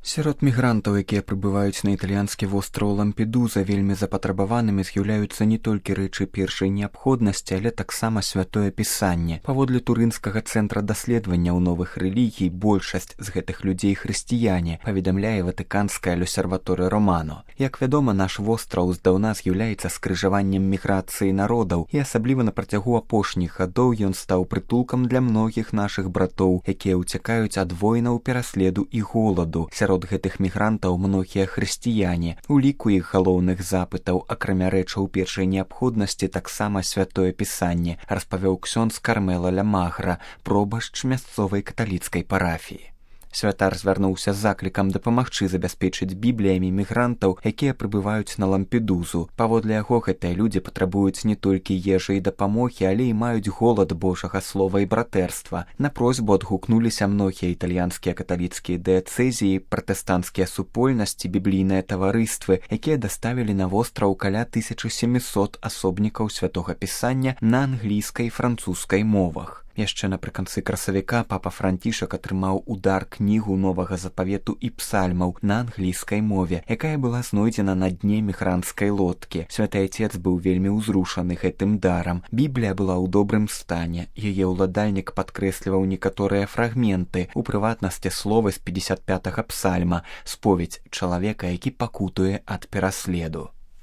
Сярод мігрантаў, якія прыбываюць на італьянскі востраў Лампедуза, вельмі запатрабаванымі з'яўляюцца не толькі рэчы першай неабходнасці, але таксама святое пісанне. Паводле турынскага цэнтра даследаванняў новых рэлігій, большасць з гэтых людзей хрысціяне, паведамляе ватыканская L'Osservatore Romano. Як вядома, наш востраў здаўна з'яўляецца скрыжаваннем міграцыі народаў, і асабліва на працягу апошніх гадоў ён стаў прытулкам для многіх нашых братоў, якія ўцякаюць ад войнаў, пераследу і голаду. Сярод гэтых мігрантаў многія хрысціяне. У ліку іх галоўных запытаў, акрамя рэчаў першай неабходнасці, таксама святое пісанне, распавёў ксёндз Кармела ля Магра, пробашч мясцовай каталіцкай парафіі. Святар звярнуўся з заклікам дапамагчы забяспечыць бібліямі мігрантаў, якія прыбываюць на Лампедузу. Паводле яго, гэтыя людзі патрабуюць не толькі ежы і дапамогі, але і маюць голад Божага слова і братэрства. На просьбу адгукнуліся многія італьянскія каталіцкія дыяцэзіі, пратэстанцкія супольнасці, біблійныя таварыствы, якія даставілі на востраў каля 1700 асобнікаў святога пісання на англійскай і французскай мовах. Яшчэ напрыканцы красавіка папа Францішак атрымаў удар кнігу новага запавету і псальмаў на англійскай мове, якая была знойдзена на дне мігрантскай лодкі. Святы Айцец быў вельмі ўзрушаны гэтым дарам. Біблія была ў добрым стане. Яе ўладальнік падкрэсліваў некаторыя фрагменты, у прыватнасці словы з 55-га псальма, споведь чалавека, які пакутуе ад пераследу.